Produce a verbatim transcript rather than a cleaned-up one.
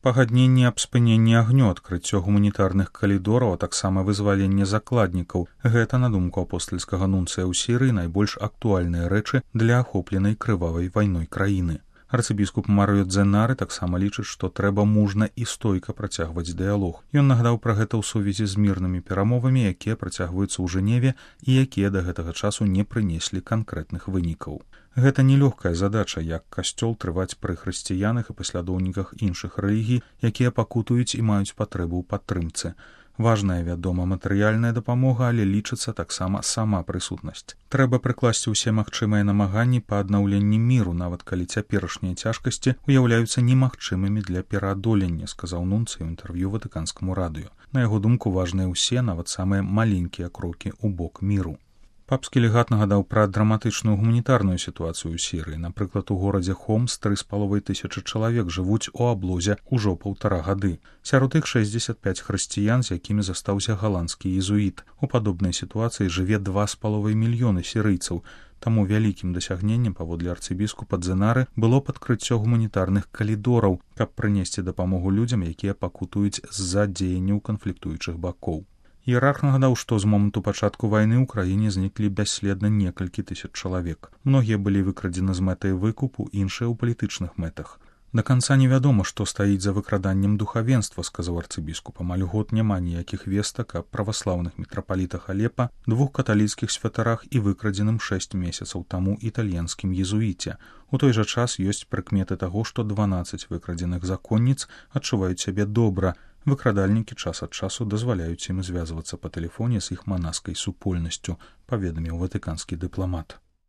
Пагадненне аб спыненні агню, адкрыццё гуманітарных калідораў, а таксама вызваленне закладнікаў. Гэта, на думку апостальскага нунцыя ў Сірыі, найбольш актуальныя рэчы для ахопленай крывавай вайной краіны. Арцыбіскуп Марыё Дзенары таксама лічыць, што трэба мужна і стойка працягваць дыялог. Ён нагадаў пра гэта ў сувязі з мірнымі перамовамі, якія працягваюцца ў Жэневе і якія да гэтага часу не прынеслі канкрэтных вынікаў. Гэта нелёгкая задача, як касцёл трываць пры хрысціянах і паслядоўніках іншых рэлігій, якія пакутуюць і маюць патрэбу ў падтрымцы. Важная, вядома, матэрыяльная дапамога, але лічыцца таксама сама прысутнасць. Трэба прыкласці ўсе магчымыя намаганні па аднаўленні міру, нават калі цяперашнія цяжкасці уяўляюцца немагчымымі для пераадолення, сказаў нунцый у інтэрв'ю ватыканскаму радыё. На яго думку, важныя ўсе, нават самыя маленькія крокі ў бок міру. Папскі легат нагадаў пра драматычную гуманітарную сітуацыю ў Сірыі. Напрыклад, у горадзе Хомс тры з паловай тысячы чалавек жывуць у аблозе ўжо паўтара гады. Сярод іх шэсцьдзесят пяць хрысціян, з якімі застаўся галандскі езуіт. У падобнай сітуацыі жыве два з паловай мільёны сірыйцаў. Таму вялікім дасягненнем, паводле арцыбіскупа Дзенары, было падкрыццё гуманітарных калідораў, каб прынесці дапамогу людзям, якія пакутуюць з-за дзеянняў канфліктуючых бакоў. Іерарх нагадаў, што з моманту пачатку вайны ў краіне зніклі бясследна некалькі тысяч чалавек. Многія былі выкрадзены з мэтай выкупу, іншыя ў палітычных мэтах. Да канца невядома, што стаіць за выкраданнем духавенства, сказаў арцыбіскуп. Амаль год няма ніякіх вестак аб праваслаўных мітрапалітах Алепа, двух каталіцкіх святарах і выкрадзеным шэсць месяцаў таму італьянскім езуіце. У той жа час ёсць прыкметы таго, што дванаццаць выкрадзеных законніц адчуваюць сябе добра. Выкрадальнікі час ад часу дазваляюць ім звязвацца па тэлефоне з іх манаскай супольнасцю, паведаміў ватыканскі дыпламат.